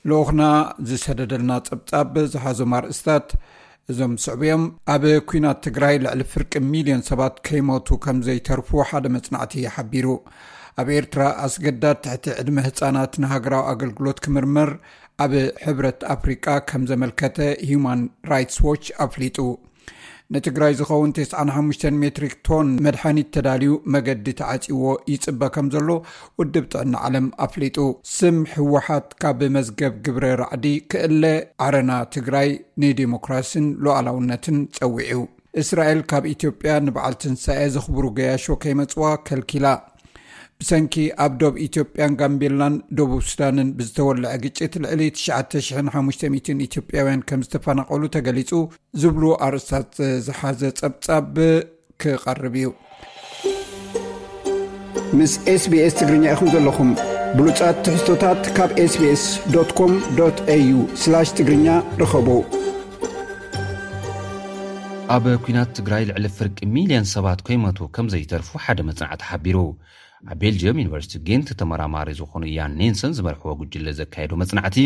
ልኡኽና ዝሰደደልና ጸብጻብ ዝሓዞም ኣርእስታት እዞም ዝስዕቡ እዮም። ኣብ ኲናት ትግራይ ልዕሊ ፍርቂ ሚልዮን ሰባት ከይሞቱ ከም ዘይተርፉ ሓደ መጽናዕቲ ሓቢሩ። ኣብ ኤርትራ ኣስገዳድ ትሕቲ ዕድመ ህጻናት ንሃገራዊ ኣገልግሎት ክምርመር ኣብ ሕብረት ኣፍሪቃ ከም ዘመልከተ ሂዩማን ራይትስ ዎች ኣፍሊጡ። ንትግራይ ዝኸውን ተስዓን ሓሙሽተን ሜትሪክ ቶን መድሓኒት ተዳልዩ መገዲ ተዓጺዎ ይጽበ ከም ዘሎ ውድብ ጥዕና ዓለም ኣፍሊጡ። ስም ህወሓት ካብ መዝገብ ግብረ ራዕዲ ክእለ፣ ዓረና ትግራይ ንዲሞክራሲን ሉዓላውነትን ጸዊዑ። እስራኤል ካብ ኢትዮጵያ ንበዓል ትንሳኤ ዘኽብሩ ገያሾ ከይመጽዋ ከልኪላ። ብሰንኪ ኣብ ዶብ ኢትዮጵያን ጋምቤላን ደቡብ ሱዳንን ብዝተወልዐ ግጭት ልዕሊ ትሽዓተ ሽሕን ሓሙሽተ ሚእትን ኢትዮጵያውያን ከም ዝተፈናቐሉ ተገሊጹ፣ ዝብሉ ኣርእስታት ዝሓዘ ጸብጻብ ክቐርብ እዩ። ምስ SBS ትግርኛ ኢኹም ዘለኹም። ብሉጻት ትሕዝቶታት ካብ sbs.com.au/ትግርኛ ርኸቡ። ኣብ ኲናት ትግራይ ልዕሊ ፍርቂ ሚልዮን ሰባት ከይሞቱ ከም ዘይተርፉ ሓደ መጽናዕቲ ሓቢሩ። ኣብ ቤልጅየም ዩኒቨርሲቲ ጌንት ተመራማሪ ዝኾኑ ያን ኔንሰን ዝመርሕዎ ጉጅለ ዘካየዶ መጽናዕቲ፣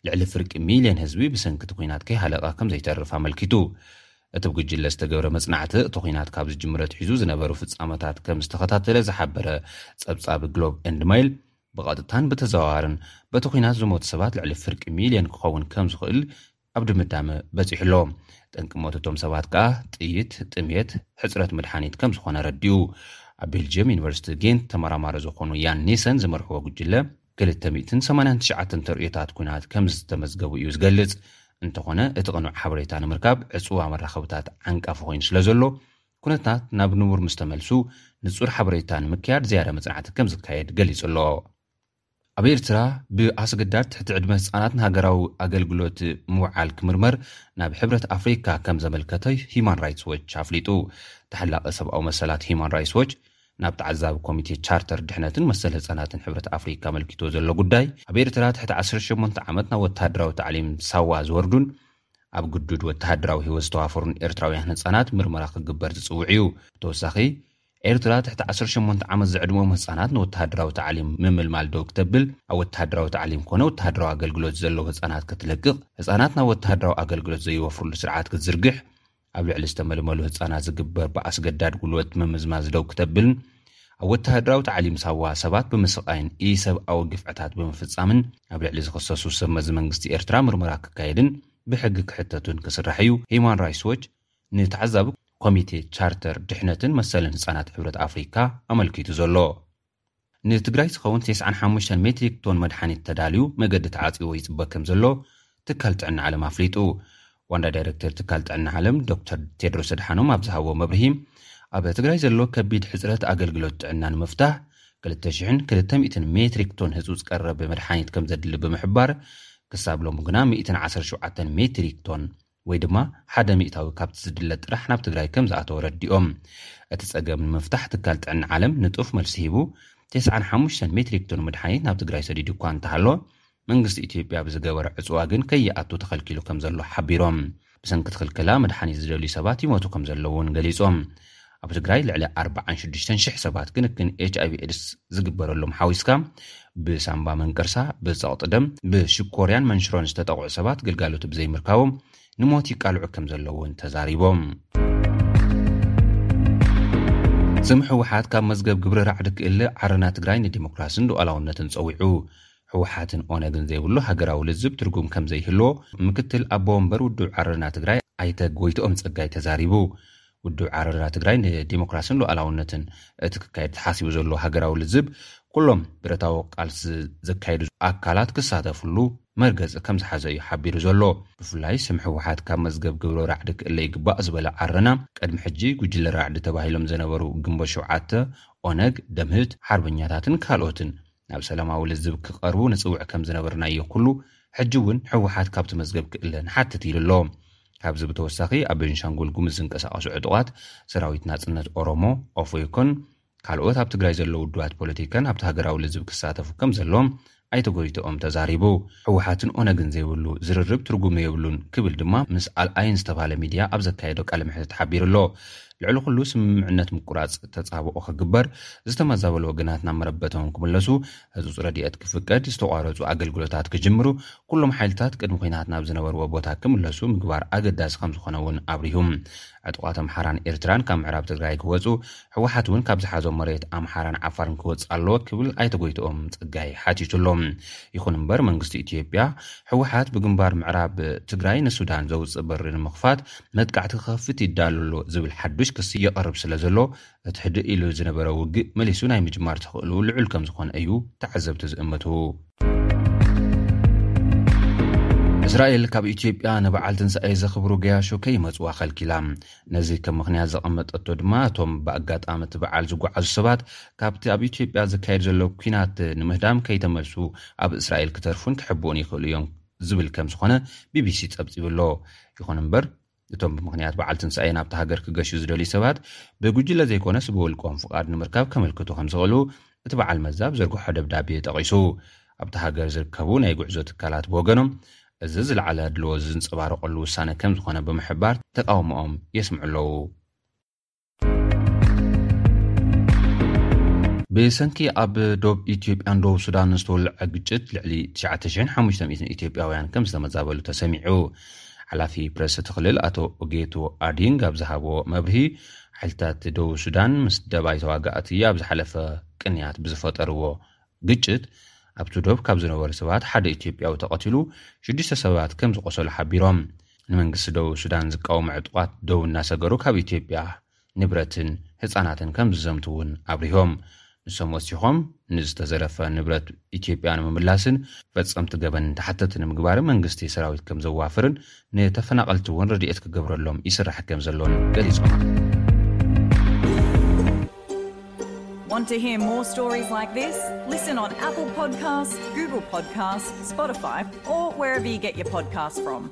ልዕሊ ፍርቂ ሚልዮን ህዝቢ ብሰንኪ እቲ ኲናት ከይሃለቐ ከም ዘይተርፍ ኣመልኪቱ። እቲ ብጉጅለ ዝተገብረ መጽናዕቲ፣ እቲ ኲናት ካብ ዝጅምር ኣትሒዙ ዝነበሩ ፍጻመታት ከም ዝተኸታተለ ዝሓበረ ጸብጻብ ግሎብ ኤንድ ማይል፣ ብቐጥታን ብተዘዋዋርን በቲ ኲናት ዝሞቱ ሰባት ልዕሊ ፍርቂ ሚልዮን ክኸውን ከም ዝኽእል ኣብ ድምዳመ በጺሑ ኣሎ። ጠንቂ ሞት እቶም ሰባት ከኣ ጥይት፣ ጥሜት፣ ሕጽረት መድሓኒት ከም ዝኾነ ረዲኡ። ኣብ ቤልጅየም ዩኒቨርሲቲ ጌንት ተመራማሪ ዝኾኑ ያን ኒሰን ዝመርሕዎ ጉጅለ፣ ክልተ ሚእትን ሰማንያን ትሽዓተን ተርእዮታት ኲናት ከም ዝተመዝገቡ እዩ ዝገልጽ። እንተኾነ፣ እቲ ቅኑዕ ሓበሬታ ንምርካብ ዕጽዋ መራኸብታት ዓንቃፊ ኮይኑ ስለ ዘሎ፣ ኩነታት ናብ ንቡር ምስ ተመልሱ፣ ንጹር ሓበሬታ ንምክያድ ዝያዳ መጽናዕቲ ከም ዝካየድ ገሊጹ ኣሎ። ኣብ ኤርትራ፣ ብኣስገዳድ ትሕቲ ዕድመ ህጻናት ንሃገራዊ ኣገልግሎት ምውዓል ክምርመር ናብ ሕብረት ኣፍሪካ ከም ዘመልከተ ሂዩማን ራይትስ ዎች ኣፍሊጡ። ተሓላቒ ሰብኣዊ መሰላት ሂዩማን ራይትስ ዎች፣ ናብ ተዓዛቢ ኮሚቴ ቻርተር ድሕነትን መሰል ህጻናትን ሕብረት ኣፍሪካ ኣመልኪቶ ዘሎ ጉዳይ፣ ኣብ ኤርትራ ትሕቲ ዓሰርተ ሸሞንተ ዓመት ናብ ወተሃደራዊ ታዕሊም ሳዋ ዝወርዱን ኣብ ግዱድ ወተሃደራዊ ህይወት ዝተዋፈሩን ኤርትራውያን ህጻናት ምርመራ ክግበር ዝጽውዕ እዩ። ብተወሳኺ፣ ኤርትራ ትሕቲ ዓሰርተ ሸሞንተ ዓመት ዝዕድመኦም ህጻናት ንወተሃደራዊ ታዕሊም ምምልማል ደው ክተብል፣ ኣብ ወተሃደራዊ ታዕሊም ኮነ ወተሃደራዊ ኣገልግሎት ዘለዉ ህጻናት ክትለቅቕ፣ ህጻናት ናብ ወተሃደራዊ ኣገልግሎት ዘይወፍርሉ ስርዓት ክትዝርግሕ፣ ኣብ ልዕሊ ዝተመልመሉ ህጻናት ዝግበር ብኣስገዳድ ጉልበት ምምዝማዝ ደው ክተብልን፣ ኣብ ወተሃደራዊ ታዕሊም ሳዋ ሰባት ብምስቓይን ኢሰብኣዊ ግፍዕታት ብምፍጻምን ኣብ ልዕሊ ዝኽሰሱ ሰብ መዚ መንግስቲ ኤርትራ ምርመራ ክካየድን ብሕጊ ክሕተቱን ክስራሕ እዩ። ሂዩማን ራይትስ ዎች ንተዓዛቢ ኮሚቴ ቻርተር ድሕነትን መሰልን ህጻናት ሕብረት ኣፍሪካ ኣመልኪቱ ዘሎ። ንትግራይ ዝኸውን ተስዓን ሓሙሽተን ሜትሪክ ቶን መድሓኒት ተዳልዩ መገዲ ተዓጽዎ ይጽበ ከም ዘሎ ትካል ጥዕና ዓለም ኣፍሊጡ። ዋና ዳይሬክተር ትካል ጥዕና ዓለም ዶክተር ቴድሮስ ኣድሓኖም ኣብ ዝሃቦ መብርሂ፣ ኣብ ትግራይ ዘሎ ከቢድ ሕጽረት ኣገልግሎት ጥዕና ንምፍታሕ ክልተ ሽሕን ክልተ ሚእትን ሜትሪክ ቶን ህጹጽ ቀረብ መድሓኒት ከም ዘድሊ ብምሕባር፣ ክሳብ ሎሚ ግና ሚእትን ዓሰርተ ሸውዓተን ሜትሪክ ቶን ወይ ድማ ሓደ ሚእታዊ ካብቲ ዝድለ ጥራሕ ናብ ትግራይ ከም ዝኣተወ ረዲኦም። እቲ ጸገም ንምፍታሕ ትካል ጥዕና ዓለም ንጡፍ መልሲ ሂቡ፣ ተስዓን ሓሙሽተን ሜትሪክ ቶን መድሓኒት ናብ ትግራይ ሰዲዱ እኳ እንተሃሎ፣ መንግስቲ ኢትዮጵያ ብዝገበረ ዕጽዋ ግን ከይኣቱ ተኸልኪሉ ከም ዘሎ ሓቢሮም። ብሰንኪ እቲ ክልከላ መድሓኒት ዝደልዩ ሰባት ይሞቱ ከም ዘለዉ እውን ገሊጾም። ኣብ ትግራይ ልዕሊ ኣርባዓን ሽዱሽተን ሽሕ ሰባት ክንክን ኤች ኣይ ቪ ኤድስ ዝግበረሎም ሓዊስካ፣ ብሳምባ መንቀርሳ፣ ብጸቕጢ ደም፣ ብሽኮርያን መንሽሮን ዝተጠቕዑ ሰባት ግልጋሎት ብዘይምርካቦም ንሞት ይቃልዑ ከም ዘለዉ እውን ተዛሪቦም። ስም ህወሓት ካብ መዝገብ ግብሪ ራዕዲ ክእለ፣ ዓረና ትግራይ ንዲሞክራስን ሉዓላውነትን ጸዊዑ። ህወሓትን ኦነግን ዘይብሉ ሃገራዊ ልዝብ ትርጉም ከም ዘይህልዎ ምክትል ኣቦ ወንበር ውድብ ዓረና ትግራይ ኣይተ ጎይትኦም ጸጋይ ተዛሪቡ። ውድብ ዓረና ትግራይ ንዲሞክራስን ሉዓላውነትን እቲ ክካየድ ተሓሲቡ ዘሎ ሃገራዊ ልዝብ፣ ኩሎም ብረታዊ ቃልሲ ዘካየዱ ኣካላት ክሳተፍሉ መርገጺ ከም ዝሓዘ እዩ ሓቢሩ ዘሎ። ብፍላይ ስም ህወሓት ካብ መዝገብ ግብሪ ራዕዲ ክእለ ይግባእ ዝበለ ዓረና፣ ቅድሚ ሕጂ ጉጅለ ራዕዲ ተባሂሎም ዝነበሩ ግንቦት ሸውዓተ፣ ኦነግ፣ ደምህት፣ ሓርበኛታትን ካልኦትን ናብ ሰላማዊ ልዝብ ክቐርቡ ንጽውዕ ከም ዝነበርናዮ ኩሉ፣ ሕጂ እውን ህወሓት ካብቲ መዝገብ ክእለ ንሓትት ኢሉ ኣሎ። ካብዚ ብተወሳኺ፣ ኣብ ቤንሻንጉል ጉሙዝ ዝንቀሳቐሱ ዕጡቓት ሰራዊት ናጽነት ኦሮሞ፣ ኦፌኮን ካልኦት ኣብ ትግራይ ዘለዉ ውድባት ፖለቲካን ኣብቲ ሃገራዊ ልዝብ ክሳተፉ ከም ዘለዎም ኣይተ ጎይትኦም ተዛሪቡ። ህወሓትን ኦነግን ዘይብሉ ዝርርብ ትርጉም የብሉን ክብል ድማ ምስ ኣልኣይን ዝተባህለ ሚድያ ኣብ ዘካየዶ ቃለ መሕትት ሓቢሩ ኣሎ። ልዕሊ ኩሉ ስምምዕነት ምቁራፅ ተፃብኦ ክግበር፣ ዝተመዛበሉ ወገናት ናብ መረበቶም ክምለሱ፣ ህፁፅ ረድኤት ክፍቀድ፣ ዝተቋረፁ ኣገልግሎታት ክጅምሩ፣ ኩሎም ሓይልታት ቅድሚ ኩናት ናብ ዝነበርዎ ቦታ ክምለሱ ምግባር ኣገዳሲ ከም ዝኾነ እውን ኣብሪሁ። ዕጡቓት ኣምሓራን ኤርትራን ካብ ምዕራብ ትግራይ ክወፁ፣ ህወሓት እውን ካብ ዝሓዞ መሬት ኣምሓራን ዓፋርን ክወፅእ ኣለዎ ክብል ኣይተ ጎይትኦም ፀጋይ ሓቲቱ ኣሎ። ይኹን እምበር መንግስቲ ኢትዮጵያ ህወሓት ብግንባር ምዕራብ ትግራይ ንሱዳን ዘውፅእ በሪ ንምኽፋት መጥቃዕቲ ክኸፍት ይዳሎ ኣሎ ዝብል ሓዱሽ ክሲ የቐርብ ስለ ዘሎ፣ እቲ ህድእ ኢሉ ዝነበረ ውግእ መሊሱ ናይ ምጅማር ተኽእሎ ልዑል ከም ዝኾነ እዩ ተዓዘብቲ ዝእምቱ። እስራኤል ካብ ኢትዮጵያ ንበዓል ትንሳኤ ዘኽብሩ ገያሾ ከይመጽዋ ከልኪላ። ነዚ ከም ምኽንያት ዘቐመጠቶ ድማ እቶም ብኣጋጣሚ እቲ በዓል ዝጓዓዙ ሰባት ካብቲ ኣብ ኢትዮጵያ ዝካየድ ዘሎ ኲናት ንምህዳም ከይተመልሱ ኣብ እስራኤል ክተርፉን ክሕብኡን ይኽእሉ እዮም ዝብል ከም ዝኾነ ቢቢሲ ጸብጺቡ ኣሎ። ይኹን እምበር እቶም ብምኽንያት በዓል ትንሳኤ ናብቲ ሃገር ክገሹ ዝደልዩ ሰባት ብጉጅለ ዘይኮነስ ብውልቆም ፍቓድ ንምርካብ ከመልክቱ ከም ዝኽእሉ እቲ በዓል መዚ ኣብ ዘርግሖ ደብዳቤ ጠቒሱ። ኣብቲ ሃገር ዝርከቡ ናይ ጉዕዞ ትካላት ብወገኖም እዚ ዝለዓለ ኣድልዎ ዝንጸባረቐሉ ውሳነ ከም ዝኾነ ብምሕባር ተቃውሞኦም የስምዑ ኣለዉ። ብሰንኪ ኣብ ዶብ ኢትዮጵያን ዶብ ሱዳን ዝተወልዐ ግጭት ልዕሊ ትሽዓተ ሽሕን ሓሙሽተ ሚእትን ኢትዮጵያውያን ከም ዝተመዛበሉ ተሰሚዑ። ሓላፊ ፕረስ እቲ ክልል ኣቶ ኦጌቱ ኣዲንግ ኣብ ዝሃቦ መብርሂ፣ ሓይልታት ዶብ ሱዳን ምስ ደባይ ተዋጋእቲ ኣብ ዝሓለፈ ቅንያት ብዝፈጠርዎ ግጭት ኣብቲ ዶብ ካብ ዝነበሩ ሰባት ሓደ ኢትዮጵያዊ ተቐቲሉ ሽዱሽተ ሰባት ከም ዝቆሰሉ ሓቢሮም። ንመንግስቲ ዶብ ሱዳን ዝቃወሙ ዕጡቓት ዶብ እናሰገሩ ካብ ኢትዮጵያ ንብረትን ህጻናትን ከም ዝዘምቱ እውን ኣብሪሆም። ንሶም ወሲኾም ንዝተዘረፈ ንብረት ኢትዮጵያ ንምምላስን ፈጸምቲ ገበን ተሓተቲ ንምግባርን መንግስቲ ሰራዊት ከም ዘዋፍርን ንተፈናቐልቲ እውን ረድኤት ክገብረሎም ይስራሕ ከም ዘሎን ገሊጾም። Want to hear more stories like this? Listen on Apple Podcasts, Google Podcasts, Spotify, or wherever you get your podcasts from.